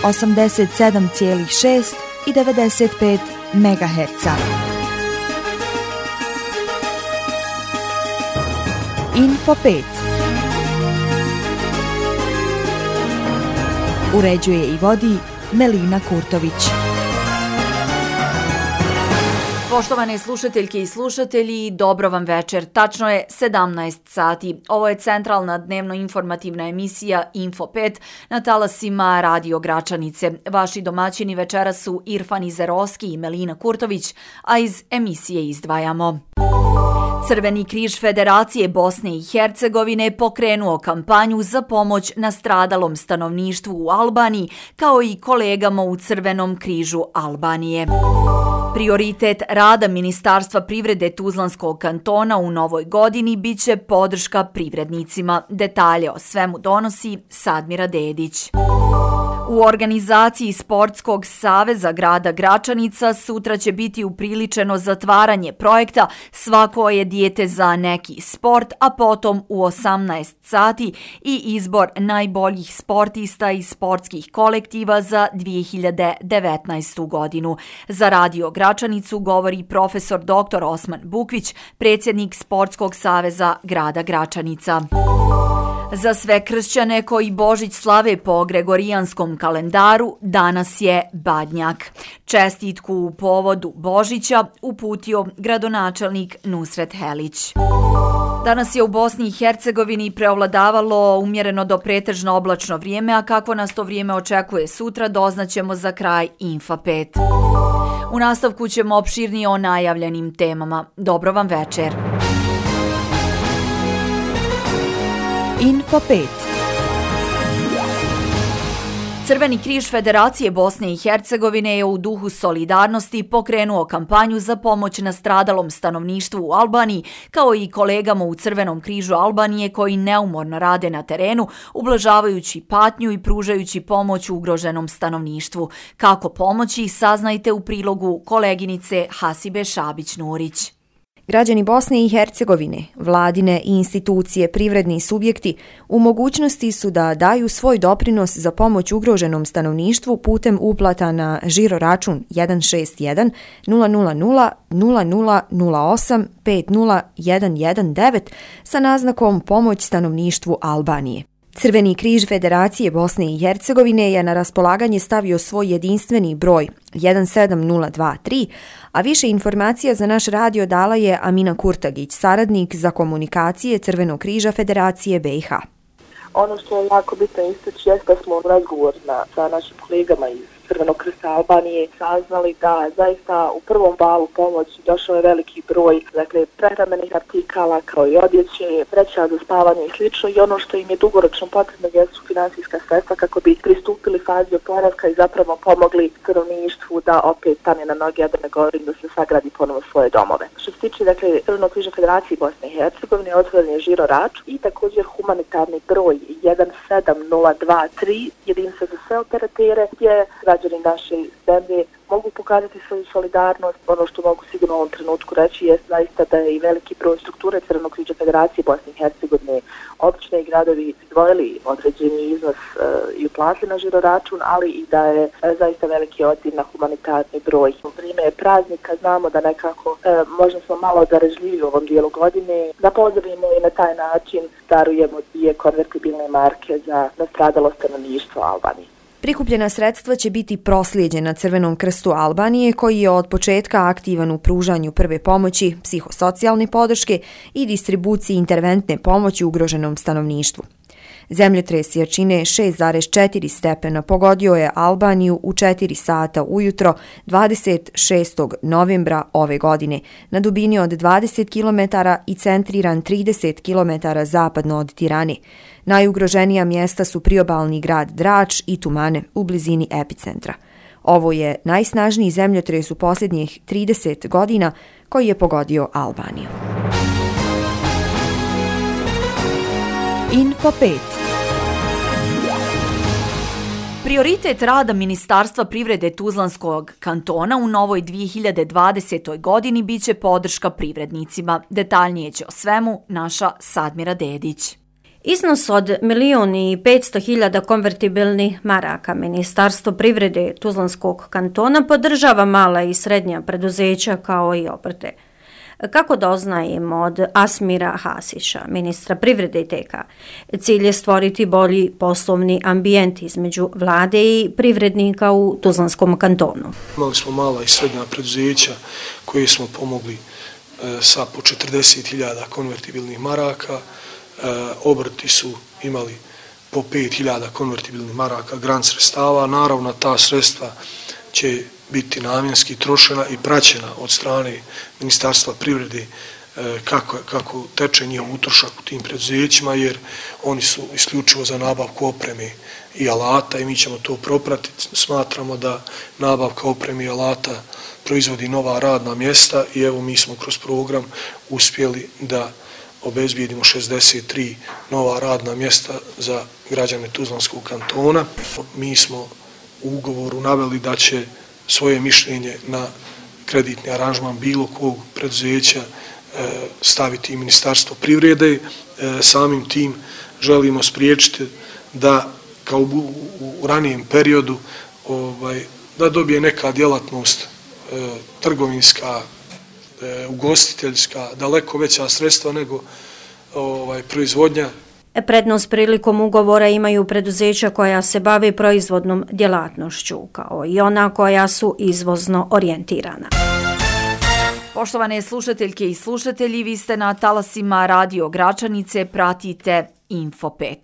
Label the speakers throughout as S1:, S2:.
S1: 87,6 i 95 MHz. Info 5. Uređuje i vodi Melina Kurtović.
S2: Poštovane slušateljke i slušatelji, dobro vam večer. Tačno je 17 sati. Ovo je centralna dnevno-informativna emisija Info 5 na talasima Radio Gračanice. Vaši domaćini večera su Irfan Izerovski i Melina Kurtović, a iz emisije izdvajamo. Crveni križ Federacije Bosne i Hercegovine pokrenuo kampanju za pomoć nastradalom stanovništvu u Albaniji, kao i kolegama u Crvenom križu Albanije. Prioritet rada Ministarstva privrede Tuzlanskog kantona u novoj godini biće podrška privrednicima. Detalje o svemu donosi Sadmira Dedić. U organizaciji Sportskog saveza grada Gračanica sutra će biti upriličeno zatvaranje projekta Svako je dijete za neki sport, a potom u 18 sati i izbor najboljih sportista i sportskih kolektiva za 2019. godinu. Za Radio Gračanicu govori profesor dr. Osman Bukvić, predsjednik Sportskog saveza grada Gračanica. Za sve kršćane koji Božić slave po gregorijanskom kalendaru, danas je Badnjak. Čestitku u povodu Božića uputio gradonačelnik Nusret Helić. Danas je u Bosni i Hercegovini preovladavalo umjereno do pretežno oblačno vrijeme, a kako nas to vrijeme očekuje sutra, doznaćemo za kraj Infa 5. U nastavku ćemo opširnije o najavljenim temama. Dobro vam večer.
S1: Info 5.
S2: Crveni križ Federacije Bosne i Hercegovine je u duhu solidarnosti pokrenuo kampanju za pomoć nastradalom stanovništvu u Albaniji, kao i kolegama u Crvenom križu Albanije koji neumorno rade na terenu, ublažavajući patnju i pružajući pomoć ugroženom stanovništvu. Kako pomoći, saznajte u prilogu koleginice Hasibe Šabić-Nurić.
S3: Građani Bosne i Hercegovine, vladine i institucije, privredni subjekti u mogućnosti su da daju svoj doprinos za pomoć ugroženom stanovništvu putem uplata na žiro račun 161 000 0008 50119 sa naznakom pomoć stanovništvu Albanije. Crveni križ Federacije Bosne i Hercegovine je na raspolaganje stavio svoj jedinstveni broj 17023, a više informacija za naš radio dala je Amina Kurtagić, saradnik za komunikacije Crvenog križa Federacije BiH.
S4: Ono što je jako bitno istaći jeste da smo razgovor sa našim kolegama iz Crvenog krsta Albanije saznali da zaista u prvom valu pomoći došao je veliki broj prehrambenih artikala kao i odjeće, vreća za spavanje i slično, i ono što im je dugoročno potrebno jesu finansijska sredstva kako bi pristupili fazi oporavka i zapravo pomogli stanovništvu da opet stane na noge, a da ne govorim da se sagradi ponovo svoje domove. Što se tiče Crvenog križa Federacije Bosne i Hercegovine, otvoren je žiro račun i također humanitarni broj 17023, jedinica za sve operatere, gdje građani naše zemlje mogu pokazati svoju solidarnost. Ono što mogu sigurno u ovom trenutku reći je zaista da je i veliki broj strukture Crvenog križa Federacije Bosne i Hercegovine, općine i gradovi izdvojili određeni iznos i uplatili na žiro račun, ali i da je zaista veliki odziv na humanitarni broj. U vrijeme praznika znamo da nekako možda smo malo darežljivi u ovom dijelu godine, da pozdravimo i na taj način darujemo 2 konvertibilne marke za nastradalo stanovništvo Albanije.
S3: Prikupljena sredstva će biti proslijeđena Crvenom krstu Albanije, koji je od početka aktivan u pružanju prve pomoći, psihosocijalne podrške i distribuciji interventne pomoći ugroženom stanovništvu. Zemljotres jačine 6,4 stepena pogodio je Albaniju u 4 sata ujutro 26. novembra ove godine na dubini od 20 km i centriran 30 km zapadno od Tirane. Najugroženija mjesta su priobalni grad Drač i Tumane u blizini epicentra. Ovo je najsnažniji zemljotres u posljednjih 30 godina koji je pogodio Albaniju.
S1: Info 5.
S2: Prioritet rada Ministarstva privrede Tuzlanskog kantona u novoj 2020. godini biće podrška privrednicima. Detaljnije će o svemu naša Sadmira Dedić.
S5: Iznos od 1.500.000 konvertibilnih maraka Ministarstvo privrede Tuzlanskog kantona podržava mala i srednja preduzeća kao i obrte. Kako doznajemo od Asmira Hasića, ministra privrede i TK, cilj je stvoriti bolji poslovni ambijent između vlade i privrednika u Tuzlanskom kantonu.
S6: Imali smo mala i srednja preduzeća koje smo pomogli sa po 40.000 konvertibilnih maraka, obrti su imali po 5.000 konvertibilnih maraka grant sredstava. Naravno, ta sredstva će biti namjenski trošena i praćena od strane Ministarstva privrede kako teče njihov utrošak u tim preduzećima, jer oni su isključivo za nabavku opreme i alata i mi ćemo to propratiti. Smatramo da nabavka opreme i alata proizvodi nova radna mjesta i evo mi smo kroz program uspjeli da obezbijedimo 63 nova radna mjesta za građane Tuzlanskog kantona. Mi smo u ugovoru naveli da će svoje mišljenje na kreditni aranžman bilo kog preduzeća staviti i Ministarstvo privrede. Samim tim želimo spriječiti da kao u ranijem periodu da dobije neka djelatnost trgovinska, ugostiteljska, daleko veća sredstva nego proizvodnja.
S5: Prednost prilikom ugovora imaju preduzeća koja se bave proizvodnom djelatnošću, kao i ona koja su izvozno orijentirana.
S2: Poštovane slušateljke i slušatelji, vi ste na talasima Radio Gračanice, pratite Info 5.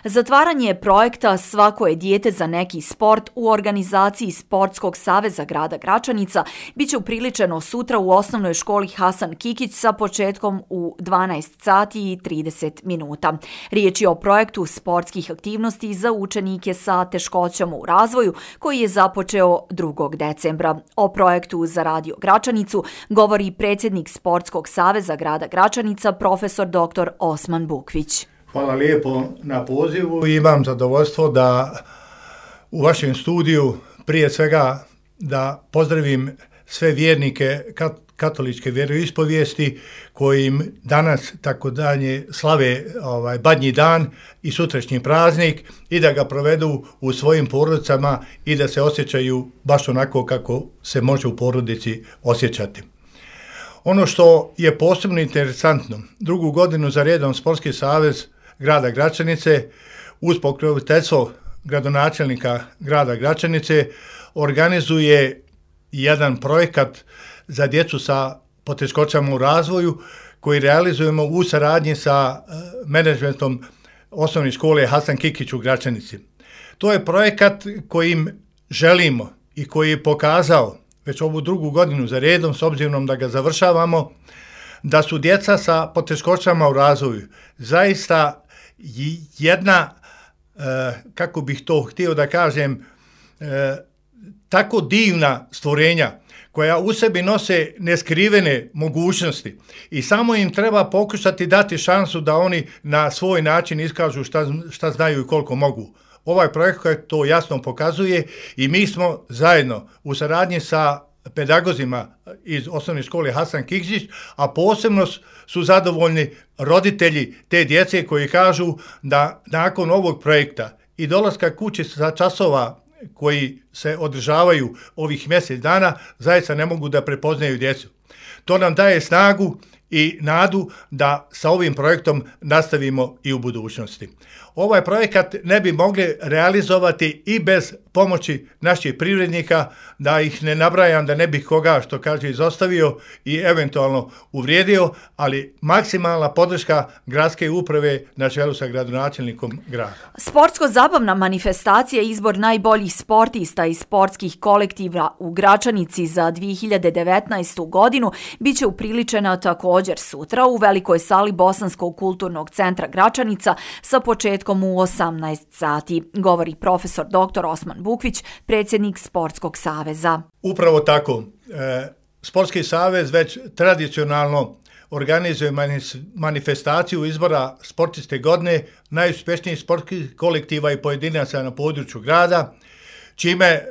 S2: Zatvaranje projekta Svako je dijete za neki sport u organizaciji Sportskog saveza grada Gračanica biće upriličeno sutra u osnovnoj školi Hasan Kikić sa početkom u 12 sati i 30 minuta. Riječ je o projektu sportskih aktivnosti za učenike sa teškoćama u razvoju koji je započeo 2. decembra. O projektu za Radio Gračanicu govori predsjednik Sportskog saveza grada Gračanica, profesor dr. Osman Bukvić.
S7: Hvala lijepo na pozivu. Imam zadovoljstvo da u vašem studiju prije svega da pozdravim sve vjernike katoličke vjeroispovijesti kojim danas tako dalje slave Badnji dan i sutrašnji praznik i da ga provedu u svojim porodicama i da se osjećaju baš onako kako se može u porodici osjećati. Ono što je posebno interesantno, 2. godinu za redom Sportski savez grada Gračanice uz pokroviteljstvo gradonačelnika grada Gračanice organizuje jedan projekat za djecu sa poteškoćama u razvoju koji realizujemo u saradnji sa menadžmentom osnovne škole Hasan Kikić u Gračanici. To je projekat kojim želimo i koji je pokazao već ovu 2. godinu za redom, s obzirom da ga završavamo, da su djeca sa poteškoćama u razvoju zaista jedna, kako bih to htio da kažem, tako divna stvorenja koja u sebi nose neskrivene mogućnosti i samo im treba pokušati dati šansu da oni na svoj način iskažu šta znaju i koliko mogu. Ovaj projekt to jasno pokazuje i mi smo zajedno u saradnji sa pedagozima iz osnovne škole Hasan Kikić, a posebno su zadovoljni roditelji te djece koji kažu da nakon ovog projekta i dolaska kući sa časova koji se održavaju ovih mjesec dana, zaista ne mogu da prepoznaju djecu. To nam daje snagu i nadu da sa ovim projektom nastavimo i u budućnosti. Ovaj projekat ne bi mogli realizovati i bez pomoći naših privrednika, da ih ne nabrajam, da ne bih koga, što kaže, izostavio i eventualno uvrijedio, ali maksimalna podrška gradske uprave na čelu sa gradonačelnikom grada.
S2: Sportsko-zabavna manifestacija izbor najboljih sportista i sportskih kolektiva u Gračanici za 2019. godinu biće upriličena također sutra u velikoj sali Bosanskog kulturnog centra Gračanica sa početkom u 18 sati, govori profesor dr. Osman Bukvić, predsjednik Sportskog saveza.
S7: Upravo tako. Sportski savez već tradicionalno organizuje manifestaciju izbora sportiste godine najuspješnijih sportskih kolektiva i pojedinaca na području grada, čime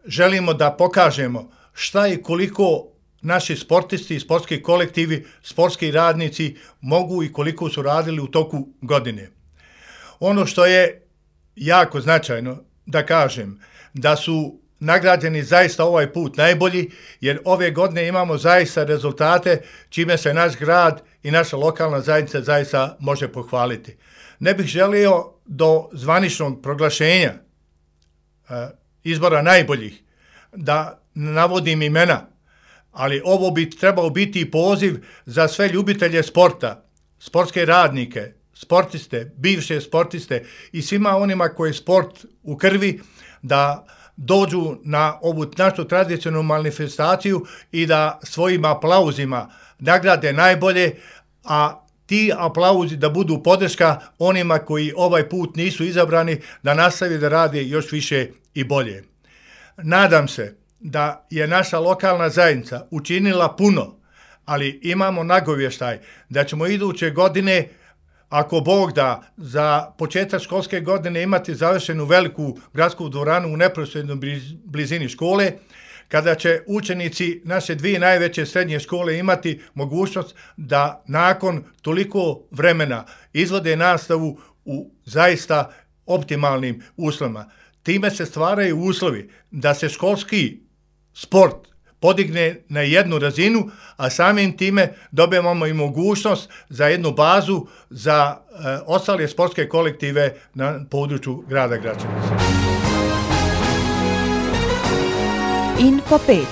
S7: želimo da pokažemo šta i koliko naši sportisti i sportski kolektivi, sportski radnici mogu i koliko su radili u toku godine. Ono što je jako značajno da kažem, da su nagrađeni zaista ovaj put najbolji, jer ove godine imamo zaista rezultate čime se naš grad i naša lokalna zajednica zaista može pohvaliti. Ne bih želio do zvaničnog proglašenja izbora najboljih da navodim imena, ali ovo bi trebao biti poziv za sve ljubitelje sporta, sportske radnike, sportiste, bivše sportiste i svima onima koji je sport u krvi, da dođu na ovu našu tradicionalnu manifestaciju i da svojim aplauzima nagrade najbolje, a ti aplauzi da budu podrška onima koji ovaj put nisu izabrani, da nastavi da rade još više i bolje. Nadam se da je naša lokalna zajednica učinila puno, ali imamo nagovještaj da ćemo iduće godine, ako Bog da, za početak školske godine imati završenu veliku gradsku dvoranu u neposrednoj blizini škole, kada će učenici naše dvije najveće srednje škole imati mogućnost da nakon toliko vremena izvode nastavu u zaista optimalnim uslovima. Time se stvaraju uslovi da se školski sport podigne na jednu razinu, a samim time dobijemo i mogućnost za jednu bazu za ostale sportske kolektive na području grada Gračanice.
S1: Info 5.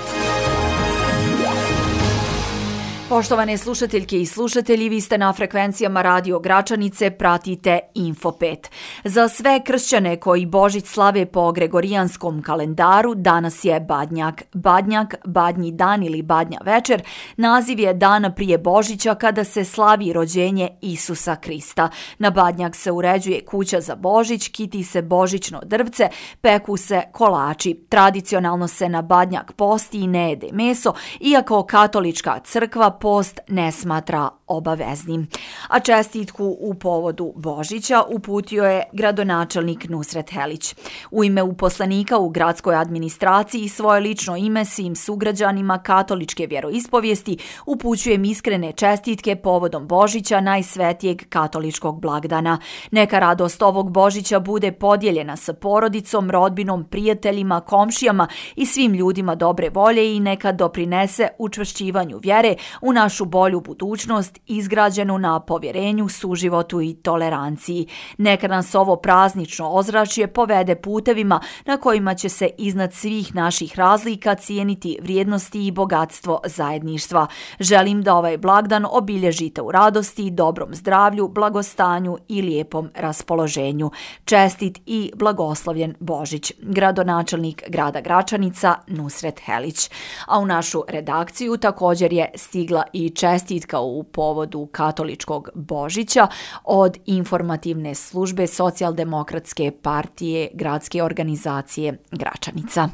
S2: Poštovane slušateljke i slušatelji, vi ste na frekvencijama Radio Gračanice, pratite Info 5. Za sve kršćane koji Božić slave po gregorijanskom kalendaru, danas je Badnjak. Badnjak, Badnji dan ili Badnja večer, naziv je dan prije Božića kada se slavi rođenje Isusa Krista. Na Badnjak se uređuje kuća za Božić, kiti se božićno drvce, peku se kolači. Tradicionalno se na Badnjak posti i ne jede meso, iako katolička crkva post ne smatra obaveznim. A čestitku u povodu Božića uputio je gradonačelnik Nusret Helić. U ime uposlenika u gradskoj administraciji i svoje lično ime svim sugrađanima katoličke vjeroispovijesti upućujem iskrene čestitke povodom Božića, najsvetijeg katoličkog blagdana. Neka radost ovog Božića bude podijeljena sa porodicom, rodbinom, prijateljima, komšijama i svim ljudima dobre volje i neka doprinese učvršćivanju vjere u našu bolju budućnost izgrađenu na povjerenju, suživotu i toleranciji. Neka nas ovo praznično ozračje povede putevima na kojima će se iznad svih naših razlika cijeniti vrijednosti i bogatstvo zajedništva. Želim da ovaj blagdan obilježite u radosti, dobrom zdravlju, blagostanju i lijepom raspoloženju. Čestit i blagoslovljen Božić. Gradonačelnik grada Gračanica Nusret Helić. A u našu redakciju također je stigla i čestitka u povodu katoličkog Božića od informativne službe Socijaldemokratske partije gradske organizacije Gračanica.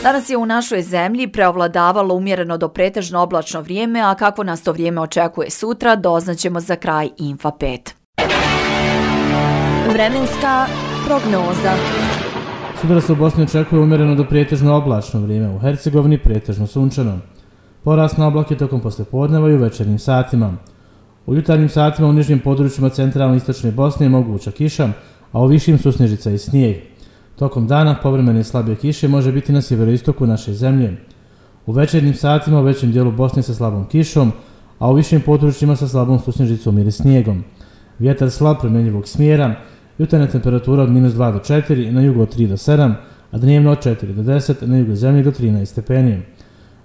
S2: Danas je u našoj zemlji preovladavalo umjereno do pretežno oblačno vrijeme, a kako nas to vrijeme očekuje sutra, doznaćemo za kraj Info 5.
S3: Vremenska prognoza.
S8: Sutra se u Bosni očekuje umjereno do pretežno oblačno vrijeme, u Hercegovini pretežno sunčano. Porast na oblake tokom poslijepodneva i u večernjim satima. U jutarnjim satima u nižnjim područjima centralne i istočne Bosne je moguća kiša, a u višim susnežica i snijeg. Tokom dana povremene slabije kiše može biti na sjeveroistoku naše zemlje. U večernjim satima u većem dijelu Bosne sa slabom kišom, a u višim područjima sa slabom susnežicom ili snijegom. Vjetar slab promjenjivog smjera, jutarnja temperatura od -2 do 4, na jugu od 3 do 7, a dnevno od 4 do 10, na jugu zemlje do 13 stepeni.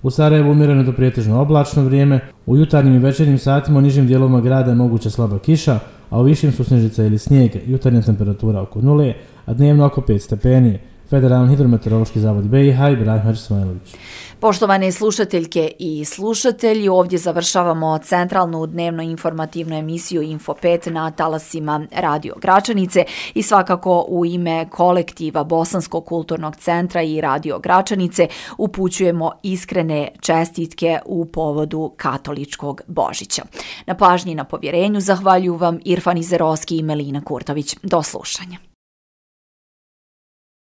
S8: U Sarajevu umjereno do pretežno oblačno vrijeme, u jutarnjim i večernjim satima u nižim dijelovima grada je moguća slaba kiša, a u višim su snježica ili snijeg, jutarnja temperatura oko 0, a dnevno oko 5 stepeni. Federalni hidrometeorološki zavod BiH Ibrahim Ismailović.
S2: Poštovane slušateljke i slušatelji, ovdje završavamo centralnu dnevno informativnu emisiju Info 5 na talasima Radio Gračanice i svakako u ime kolektiva Bosanskog kulturnog centra i Radio Gračanice upućujemo iskrene čestitke u povodu katoličkog Božića. Na pažnji i na povjerenju zahvaljuju vam Irfan Izerovski i Melina Kurtović. Do slušanja.